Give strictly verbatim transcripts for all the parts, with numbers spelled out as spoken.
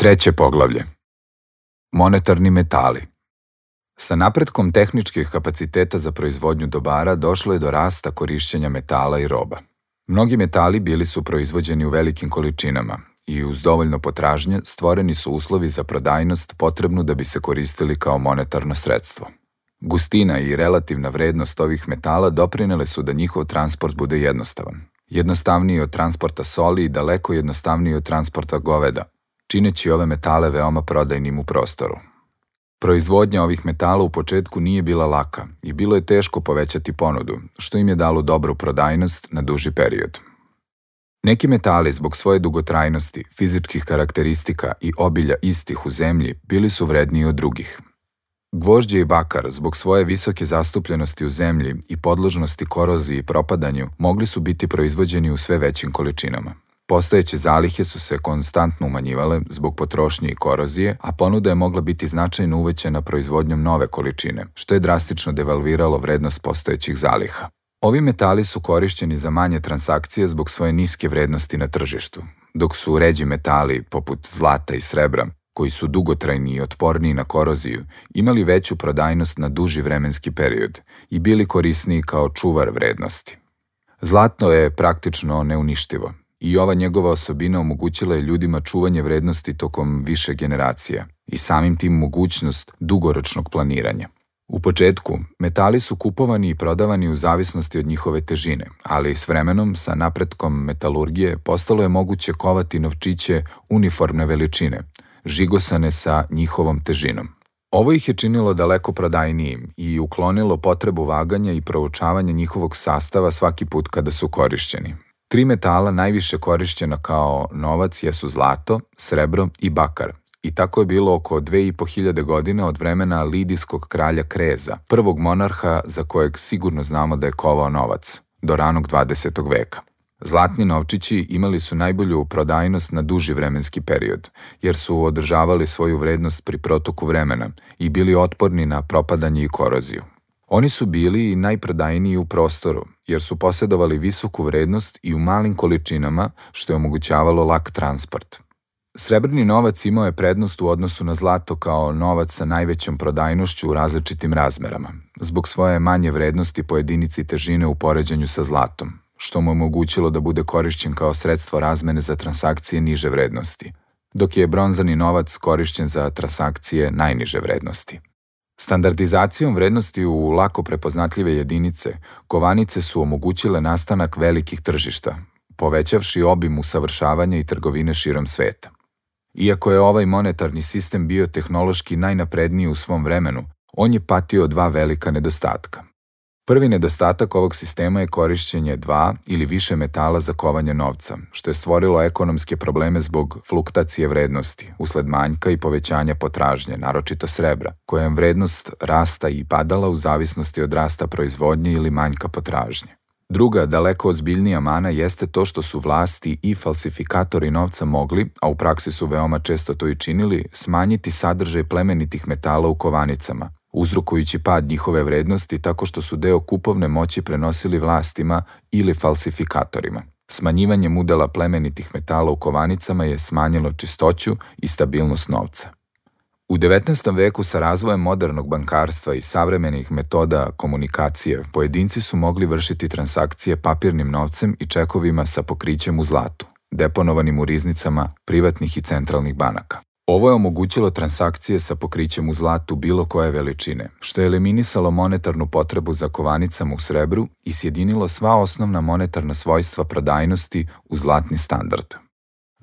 Treće poglavlje. Monetarni metali. Sa napretkom tehničkih kapaciteta za proizvodnju dobara došlo je do rasta korišćenja metala i roba. Mnogi metali bili su proizvođeni u velikim količinama i uz dovoljno potražnje stvoreni su uslovi za prodajnost potrebnu da bi se koristili kao monetarno sredstvo. Gustina i relativna vrednost ovih metala doprinele su da njihov transport bude jednostavan. Jednostavniji od transporta soli i daleko jednostavniji od transporta goveda, čineći ove metale veoma prodajnim u prostoru. Proizvodnja ovih metala u početku nije bila laka i bilo je teško povećati ponudu, što im je dalo dobru prodajnost na duži period. Neki metali zbog svoje dugotrajnosti, fizičkih karakteristika i obilja istih u zemlji bili su vredniji od drugih. Gvožđe i bakar zbog svoje visoke zastupljenosti u zemlji i podložnosti koroziji i propadanju mogli su biti proizvođeni u sve većim količinama. Postojeće zalihe su se konstantno umanjivale zbog potrošnje i korozije, a ponuda je mogla biti značajno uvećana proizvodnjom nove količine, što je drastično devalviralo vrednost postojećih zaliha. Ovi metali su korišćeni za manje transakcije zbog svoje niske vrednosti na tržištu, dok su ređi metali, poput zlata i srebra, koji su dugotrajni i otporniji na koroziju, imali veću prodajnost na duži vremenski period i bili korisniji kao čuvar vrednosti. Zlato je praktično neuništivo i ova njegova osobina omogućila je ljudima čuvanje vrednosti tokom više generacija i samim tim mogućnost dugoročnog planiranja. U početku, metali su kupovani i prodavani u zavisnosti od njihove težine, ali s vremenom, sa napretkom metalurgije, postalo je moguće kovati novčiće uniformne veličine, žigosane sa njihovom težinom. Ovo ih je činilo daleko prodajnijim i uklonilo potrebu vaganja i proučavanja njihovog sastava svaki put kada su korišćeni. Tri metala najviše korišćena kao novac jesu zlato, srebro i bakar, i tako je bilo oko dve i po hiljade godina od vremena lidijskog kralja Kreza, prvog monarha za kojeg sigurno znamo da je kovao novac, do ranog dvadesetog veka. Zlatni novčići imali su najbolju prodajnost na duži vremenski period, jer su održavali svoju vrednost pri protoku vremena i bili otporni na propadanje i koroziju. Oni su bili i najprodajniji u prostoru, jer su posjedovali visoku vrednost i u malim količinama, što je omogućavalo lak transport. Srebrni novac imao je prednost u odnosu na zlato kao novac sa najvećom prodajnošću u različitim razmerama, zbog svoje manje vrednosti po jedinici težine u poređenju sa zlatom, što mu je omogućilo da bude korišćen kao sredstvo razmene za transakcije niže vrednosti, dok je bronzani novac korišćen za transakcije najniže vrednosti. Standardizacijom vrednosti u lako prepoznatljive jedinice, kovanice su omogućile nastanak velikih tržišta, povećavši obim usavršavanja i trgovine širom sveta. Iako je ovaj monetarni sistem bio tehnološki najnapredniji u svom vremenu, on je patio dva velika nedostatka. Prvi nedostatak ovog sistema je korišćenje dva ili više metala za kovanje novca, što je stvorilo ekonomske probleme zbog fluktacije vrednosti, usled manjka i povećanja potražnje, naročito srebra, kojem vrednost rasta i padala u zavisnosti od rasta proizvodnje ili manjka potražnje. Druga, daleko ozbiljnija mana jeste to što su vlasti i falsifikatori novca mogli, a u praksi su veoma često to i činili, smanjiti sadržaj plemenitih metala u kovanicama, uzrokujući pad njihove vrednosti tako što su deo kupovne moći prenosili vlastima ili falsifikatorima. Smanjivanjem udela plemenitih metala u kovanicama je smanjilo čistoću i stabilnost novca. U devetnaestom veku sa razvojem modernog bankarstva i savremenih metoda komunikacije, pojedinci su mogli vršiti transakcije papirnim novcem i čekovima sa pokrićem u zlatu, deponovanim u riznicama privatnih i centralnih banaka. Ovo je omogućilo transakcije sa pokrićem u zlatu bilo koje veličine, što je eliminisalo monetarnu potrebu za kovanicama u srebru i sjedinilo sva osnovna monetarna svojstva prodajnosti u zlatni standard.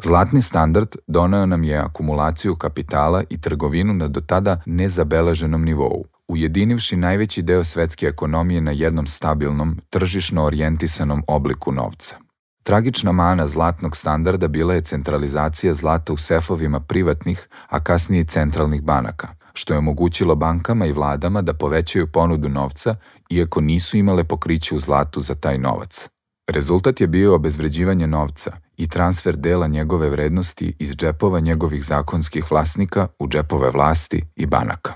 Zlatni standard doneo nam je akumulaciju kapitala i trgovinu na do tada nezabeleženom nivou, ujedinivši najveći deo svetske ekonomije na jednom stabilnom, tržišno orijentisanom obliku novca. Tragična mana zlatnog standarda bila je centralizacija zlata u sefovima privatnih, a kasnije i centralnih banaka, što je omogućilo bankama i vladama da povećaju ponudu novca, iako nisu imale pokriće u zlatu za taj novac. Rezultat je bio obezvređivanje novca i transfer dela njegove vrednosti iz džepova njegovih zakonskih vlasnika u džepove vlasti i banaka.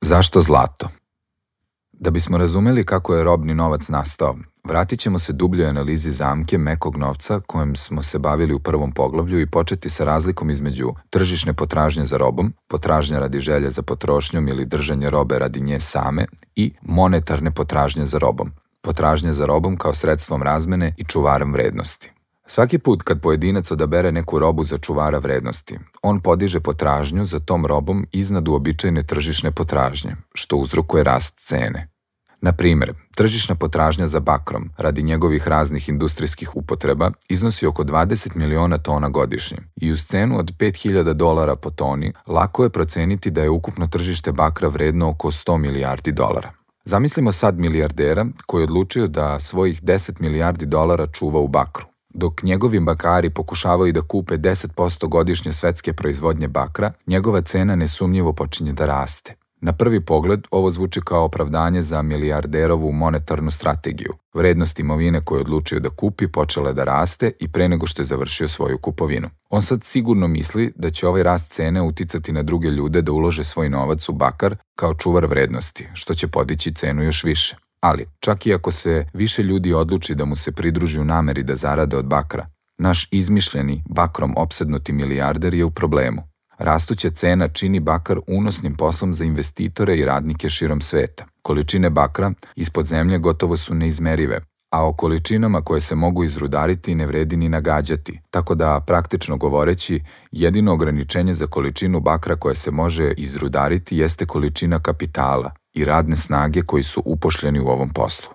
Zašto zlato? Da bismo razumeli kako je robni novac nastao, vratit ćemo se dubljoj analizi zamke mekog novca kojem smo se bavili u prvom poglavlju i početi sa razlikom između tržišne potražnje za robom, potražnja radi želje za potrošnjom ili držanje robe radi nje same i monetarne potražnje za robom, potražnje za robom kao sredstvom razmene i čuvarom vrednosti. Svaki put kad pojedinac odabere neku robu za čuvara vrednosti, on podiže potražnju za tom robom iznad uobičajene tržišne potražnje, što uzrokuje rast cene. Na primjer, tržišna potražnja za bakrom radi njegovih raznih industrijskih upotreba iznosi oko dvadeset miliona tona godišnje i uz cenu od pet hiljada dolara po toni lako je proceniti da je ukupno tržište bakra vredno oko sto milijardi dolara. Zamislimo sad milijardera koji je odlučio da svojih deset milijardi dolara čuva u bakru. Dok njegovi bakari pokušavaju da kupe deset posto godišnje svetske proizvodnje bakra, njegova cena nesumnjivo počinje da raste. Na prvi pogled, ovo zvuči kao opravdanje za milijarderovu monetarnu strategiju. Vrednost imovine koju je odlučio da kupi počela je da raste i pre nego što je završio svoju kupovinu. On sad sigurno misli da će ovaj rast cene uticati na druge ljude da ulože svoj novac u bakar kao čuvar vrednosti, što će podići cenu još više. Ali, čak i ako se više ljudi odluči da mu se pridruži u nameri da zarade od bakra, naš izmišljeni, bakrom opsednuti milijarder je u problemu. Rastuća cena čini bakar unosnim poslom za investitore i radnike širom sveta. Količine bakra ispod zemlje gotovo su neizmerive, a o količinama koje se mogu izrudariti ne vredi ni nagađati, tako da, praktično govoreći, jedino ograničenje za količinu bakra koje se može izrudariti jeste količina kapitala i radne snage koji su upošljeni u ovom poslu.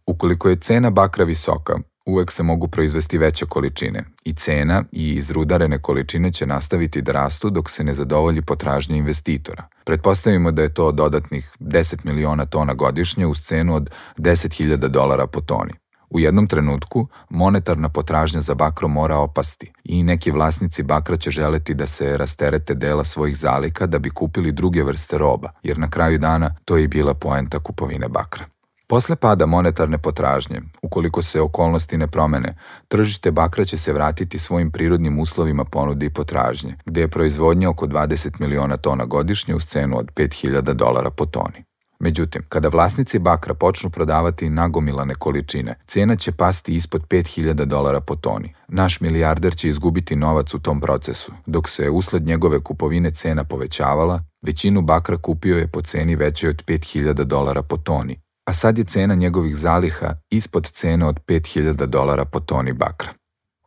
Ukoliko je cena bakra visoka, uvek se mogu proizvesti veće količine i cena i izrudarene količine će nastaviti da rastu dok se ne zadovolji potražnja investitora. Pretpostavimo da je to dodatnih deset miliona tona godišnje uz cenu od deset hiljada dolara po toni. U jednom trenutku monetarna potražnja za bakrom mora opasti i neki vlasnici bakra će želeti da se rasterete dela svojih zalika da bi kupili druge vrste roba, jer na kraju dana to je i bila poenta kupovine bakra. Posle pada monetarne potražnje, ukoliko se okolnosti ne promene, tržište bakra će se vratiti svojim prirodnim uslovima ponude i potražnje, gde je proizvodnja oko dvadeset miliona tona godišnje uz cenu od pet hiljada dolara po toni. Međutim, kada vlasnici bakra počnu prodavati nagomilane količine, cena će pasti ispod pet hiljada dolara po toni. Naš milijarder će izgubiti novac u tom procesu. Dok se usled njegove kupovine cena povećavala, većinu bakra kupio je po ceni većoj od pet hiljada dolara po toni, a sad je cena njegovih zaliha ispod cene od pet hiljada dolara po toni bakra.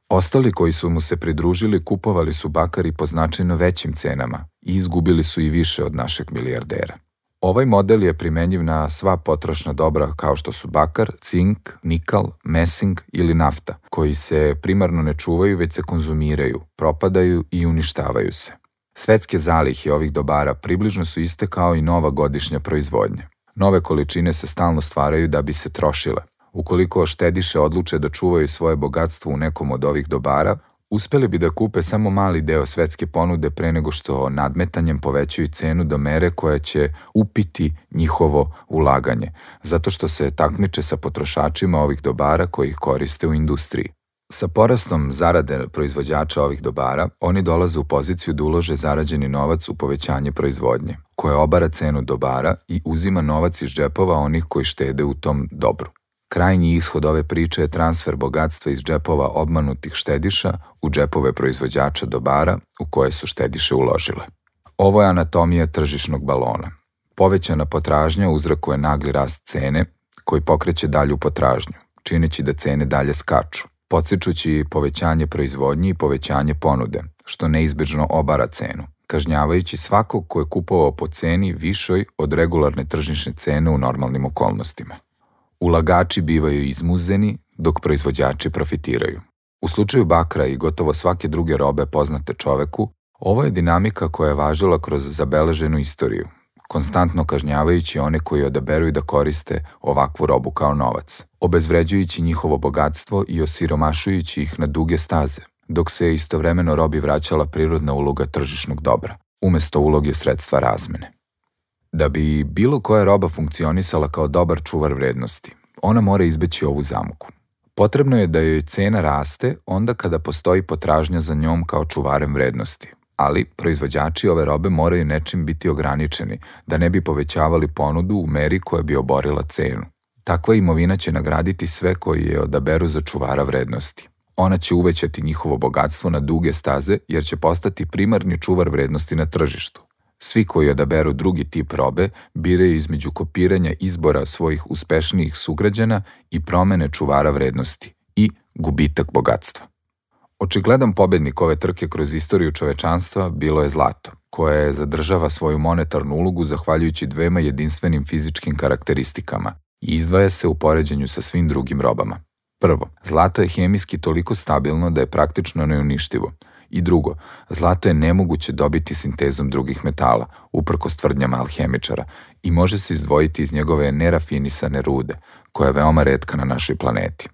Ostali koji su mu se pridružili kupovali su bakar i po značajno većim cenama i izgubili su i više od našeg milijardera. Ovaj model je primenjiv na sva potrošna dobra kao što su bakar, cink, nikal, mesing ili nafta, koji se primarno ne čuvaju već se konzumiraju, propadaju i uništavaju se. Svetske zalihe ovih dobara približno su iste kao i nova godišnja proizvodnja. Nove količine se stalno stvaraju da bi se trošile. Ukoliko štediše odluče da čuvaju svoje bogatstvo u nekom od ovih dobara, uspeli bi da kupe samo mali deo svetske ponude pre nego što nadmetanjem povećaju cenu do mere koja će upiti njihovo ulaganje, zato što se takmiče sa potrošačima ovih dobara koji ih koriste u industriji. Sa porastom zarade proizvođača ovih dobara, oni dolaze u poziciju da ulože zarađeni novac u povećanje proizvodnje, koja obara cenu dobara i uzima novac iz džepova onih koji štede u tom dobru. Krajnji ishod ove priče je transfer bogatstva iz džepova obmanutih štediša u džepove proizvođača dobara u koje su štediše uložile. Ovo je anatomija tržišnog balona. Povećana potražnja uzrokuje nagli rast cene koji pokreće dalju potražnju, čineći da cene dalje skaču, podstičući povećanje proizvodnje i povećanje ponude, što neizbežno obara cenu, kažnjavajući svakog ko je kupovao po ceni višoj od regularne tržišne cene u normalnim okolnostima. Ulagači bivaju izmuzeni, dok proizvođači profitiraju. U slučaju bakra i gotovo svake druge robe poznate čoveku, ovo je dinamika koja je važila kroz zabeleženu istoriju, konstantno kažnjavajući one koji odaberuju da koriste ovakvu robu kao novac, obezvređujući njihovo bogatstvo i osiromašujući ih na duge staze, dok se istovremeno robi vraćala prirodna uloga tržišnog dobra, umesto uloge sredstva razmene. Da bi bilo koja roba funkcionisala kao dobar čuvar vrednosti, ona mora izbeći ovu zamku. Potrebno je da joj cena raste onda kada postoji potražnja za njom kao čuvarem vrednosti, Ali proizvođači ove robe moraju nečim biti ograničeni, da ne bi povećavali ponudu u meri koja bi oborila cenu. Takva imovina će nagraditi sve koji je odaberu za čuvara vrednosti. Ona će uvećati njihovo bogatstvo na duge staze jer će postati primarni čuvar vrednosti na tržištu. Svi koji odaberu drugi tip robe biraju između kopiranja izbora svojih uspešnijih sugrađana i promene čuvara vrednosti i gubitak bogatstva. Očigledan pobednik ove trke kroz istoriju čovečanstva bilo je zlato, koje zadržava svoju monetarnu ulogu zahvaljujući dvema jedinstvenim fizičkim karakteristikama i izdvaja se u poređenju sa svim drugim robama. Prvo, zlato je hemijski toliko stabilno da je praktično neuništivo. I drugo, zlato je nemoguće dobiti sintezom drugih metala, uprkos tvrdnjama alhemičara, i može se izdvojiti iz njegove nerafinisane rude, koja je veoma retka na našoj planeti.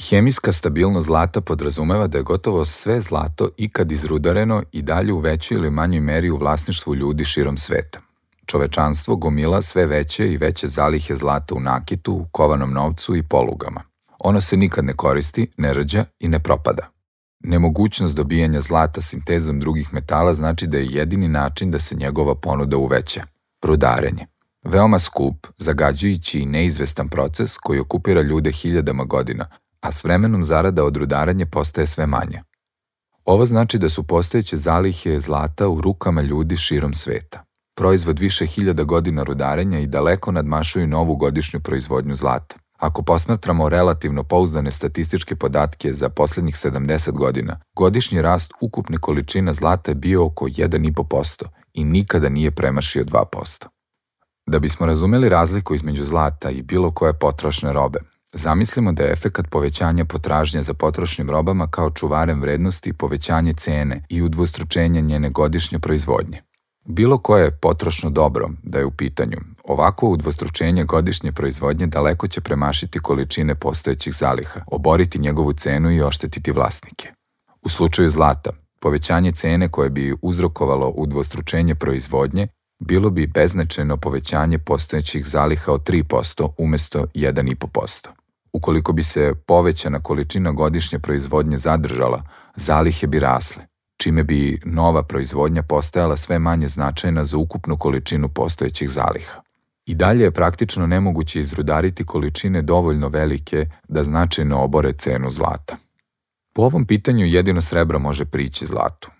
Hemijska stabilnost zlata podrazumeva da je gotovo sve zlato ikad izrudareno i dalje u većoj ili manjoj meri u vlasništvu ljudi širom sveta. Čovečanstvo gomila sve veće i veće zalihe zlata u nakitu, u kovanom novcu i polugama. Ono se nikad ne koristi, ne rađa i ne propada. Nemogućnost dobijanja zlata sintezom drugih metala znači da je jedini način da se njegova ponuda uveća. Rudarenje. Veoma skup, zagađujući i neizvestan proces koji okupira ljude hiljadama godina, a s vremenom zarada od rudaranja postaje sve manja. Ovo znači da su postojeće zalihe zlata u rukama ljudi širom sveta. Proizvod više hiljada godina rudarenja i daleko nadmašuju novu godišnju proizvodnju zlata. Ako posmatramo relativno pouzdane statističke podatke za poslednjih sedamdeset godina, godišnji rast ukupne količina zlata je bio oko jedan zarez pet posto i nikada nije premašio dva posto. Da bismo razumeli razliku između zlata i bilo koje potrošne robe, zamislimo da je efekat povećanja potražnje za potrošnim robama kao čuvarem vrednosti povećanje cene i udvostručenje njene godišnje proizvodnje. Bilo koje potrošno dobro da je u pitanju, ovako udvostručenje godišnje proizvodnje daleko će premašiti količine postojećih zaliha, oboriti njegovu cenu i oštetiti vlasnike. U slučaju zlata, povećanje cene koje bi uzrokovalo udvostručenje proizvodnje bilo bi beznačajno povećanje postojećih zaliha od tri posto umesto jedan zarez pet posto. Ukoliko bi se povećana količina godišnje proizvodnje zadržala, zalihe bi rasle, čime bi nova proizvodnja postajala sve manje značajna za ukupnu količinu postojećih zaliha. I dalje je praktično nemoguće izrudariti količine dovoljno velike da značajno obore cenu zlata. Po ovom pitanju jedino srebro može prići zlatu.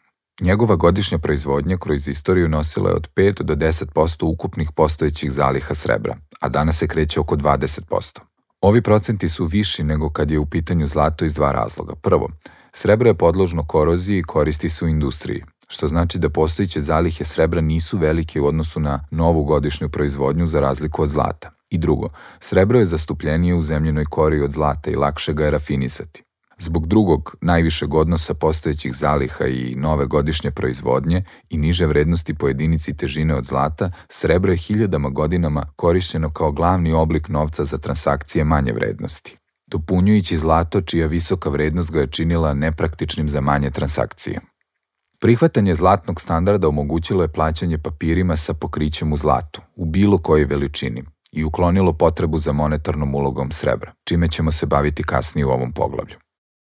Njegova godišnja proizvodnja kroz istoriju nosila je od pet do deset posto ukupnih postojećih zaliha srebra, a danas se kreće oko dvadeset posto. Ovi procenti su viši nego kad je u pitanju zlato iz dva razloga. Prvo, srebro je podložno koroziji i koristi se u industriji, što znači da postojeće zalihe srebra nisu velike u odnosu na novu godišnju proizvodnju za razliku od zlata. I drugo, srebro je zastupljenije u zemljenoj kori od zlata i lakše ga je rafinisati. Zbog drugog, najvišeg odnosa postojećih zaliha i nove godišnje proizvodnje i niže vrednosti po jedinici težine od zlata, srebro je hiljadama godinama korišćeno kao glavni oblik novca za transakcije manje vrednosti, dopunjujući zlato čija visoka vrednost ga je činila nepraktičnim za manje transakcije. Prihvatanje zlatnog standarda omogućilo je plaćanje papirima sa pokrićem u zlatu, u bilo kojoj veličini, i uklonilo potrebu za monetarnom ulogom srebra, čime ćemo se baviti kasnije u ovom poglavlju.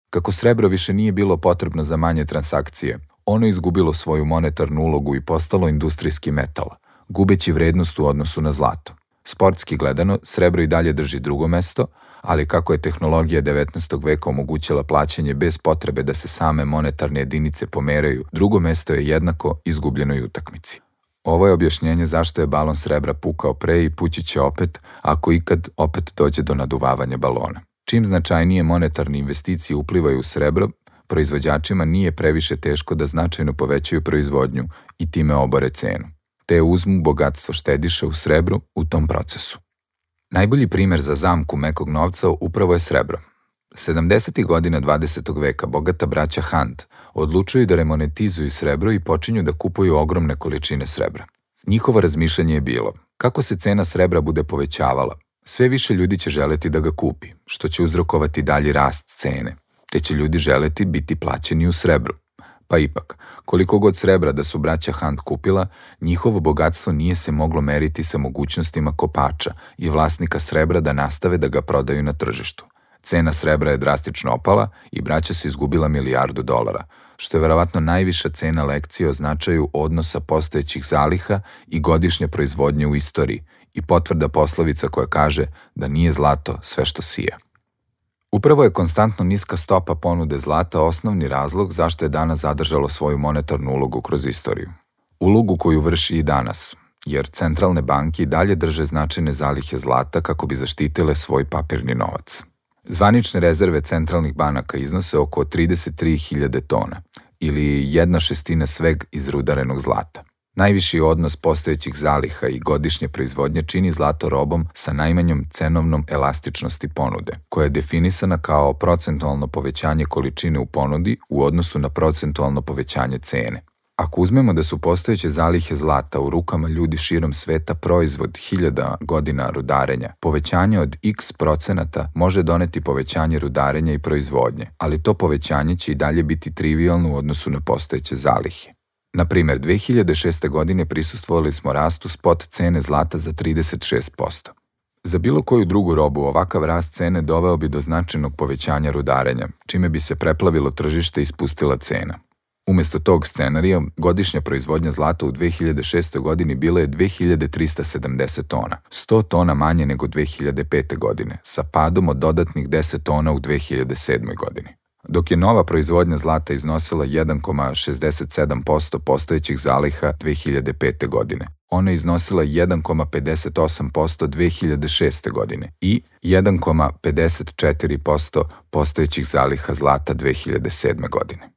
Kako srebro više nije bilo potrebno za manje transakcije, ono je izgubilo svoju monetarnu ulogu i postalo industrijski metal, gubeći vrednost u odnosu na zlato. Sportski gledano, srebro i dalje drži drugo mesto, ali kako je tehnologija devetnaestog veka omogućila plaćanje bez potrebe da se same monetarne jedinice pomeraju, drugo mesto je jednako izgubljenoj utakmici. Ovo je objašnjenje zašto je balon srebra pukao pre i pući će opet, ako ikad opet dođe do naduvavanja balona. Čim značajnije monetarne investicije uplivaju u srebro, proizvođačima nije previše teško da značajno povećaju proizvodnju i time obore cenu, te uzmu bogatstvo štediša u srebru u tom procesu. Najbolji primer za zamku mekog novca upravo je srebro. sedamdesetih godina dvadesetog veka bogata braća Hunt odlučuju da remonetizuju srebro i počinju da kupuju ogromne količine srebra. Njihovo razmišljanje je bilo, kako se cena srebra bude povećavala, sve više ljudi će želeti da ga kupi, što će uzrokovati dalji rast cene, te će ljudi želeti biti plaćeni u srebru. Pa ipak, koliko god srebra da su braća Hunt kupila, njihovo bogatstvo nije se moglo meriti sa mogućnostima kopača i vlasnika srebra da nastave da ga prodaju na tržištu. Cena srebra je drastično opala i braća su izgubila milijardu dolara. što je verovatno najviša cena lekcije o značaju odnosa postojećih zaliha i godišnje proizvodnje u istoriji i potvrda poslovica koja kaže da nije zlato sve što sija. Upravo je konstantno niska stopa ponude zlata osnovni razlog zašto je danas zadržalo svoju monetarnu ulogu kroz istoriju. Ulogu koju vrši i danas, jer centralne banke i dalje drže značajne zalihe zlata kako bi zaštitile svoj papirni novac. Zvanične rezerve centralnih banaka iznose oko trideset tri hiljade tona, ili jedna šestina sveg izrudarenog zlata. Najviši odnos postojećih zaliha i godišnje proizvodnje čini zlato robom sa najmanjom cenovnom elastičnosti ponude, koja je definisana kao procentualno povećanje količine u ponudi u odnosu na procentualno povećanje cene. Ako uzmemo da su postojeće zalihe zlata u rukama ljudi širom sveta proizvod hiljada godina rudarenja, povećanje od x procenata može doneti povećanje rudarenja i proizvodnje, ali to povećanje će i dalje biti trivijalno u odnosu na postojeće zalihe. Na primjer, dve hiljade šeste. godine prisustvovali smo rastu spot cene zlata za trideset šest posto. Za bilo koju drugu robu ovakav rast cene doveo bi do značajnog povećanja rudarenja, čime bi se preplavilo tržište i spustila cena. Umesto tog scenarija, godišnja proizvodnja zlata u dve hiljade šestoj. godini bila je dve hiljade trista sedamdeset tona, sto tona manje nego dve hiljade pete. godine, sa padom od dodatnih deset tona u dve hiljade sedmoj. godini. Dok je nova proizvodnja zlata iznosila jedan zarez šezdeset sedam posto postojećih zaliha dve hiljade pete. godine. Ona je iznosila jedan zarez pedeset osam posto dve hiljade šeste. godine i jedan zarez pedeset četiri posto postojećih zaliha zlata dve hiljade sedme. godine.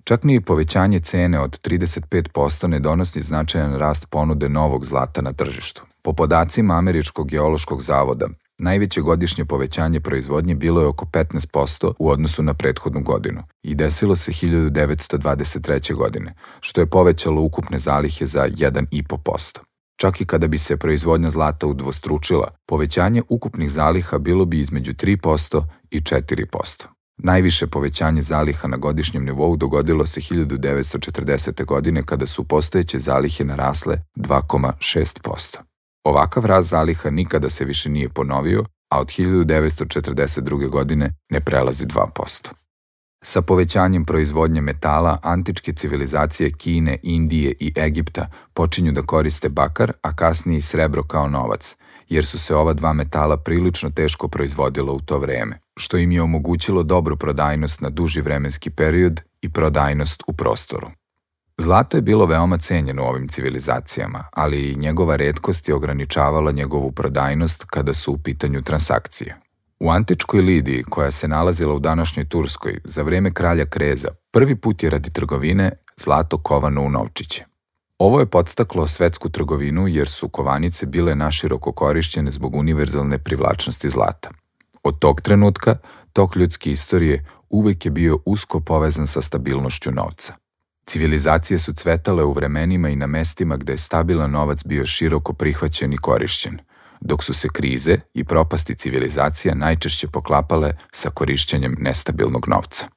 Čak ni povećanje cene od trideset pet posto ne donosi značajan rast ponude novog zlata na tržištu. Po podacima Američkog geološkog zavoda, najveće godišnje povećanje proizvodnje bilo je oko petnaest posto u odnosu na prethodnu godinu i desilo se hiljadu devetsto dvadeset treće. godine, što je povećalo ukupne zalihe za jedan zarez pet posto. Čak i kada bi se proizvodnja zlata udvostručila, povećanje ukupnih zaliha bilo bi između tri posto i četiri posto. Najviše povećanje zaliha na godišnjem nivou dogodilo se hiljadu devetsto četrdesete. godine kada su postojeće zalihe narasle dva zarez šest posto. Ovakav rast zaliha nikada se više nije ponovio, a od hiljadu devetsto četrdeset druge. godine ne prelazi dva posto. Sa povećanjem proizvodnje metala, antičke civilizacije Kine, Indije i Egipta počinju da koriste bakar, a kasnije i srebro kao novac, jer su se ova dva metala prilično teško proizvodila u to vreme, što im je omogućilo dobru prodajnost na duži vremenski period i prodajnost u prostoru. Zlato je bilo veoma cenjeno u ovim civilizacijama, ali i njegova retkost je ograničavala njegovu prodajnost kada su u pitanju transakcije. U antičkoj Lidiji, koja se nalazila u današnjoj Turskoj, za vreme kralja Kreza, prvi put je radi trgovine zlato kovano u novčiće. Ovo je podstaklo svetsku trgovinu jer su kovanice bile naširoko korišćene zbog univerzalne privlačnosti zlata. Od tog trenutka, tok ljudske istorije uvek je bio usko povezan sa stabilnošću novca. Civilizacije su cvetale u vremenima i na mestima gde je stabilan novac bio široko prihvaćen i korišćen, dok su se krize i propasti civilizacija najčešće poklapale sa korišćenjem nestabilnog novca.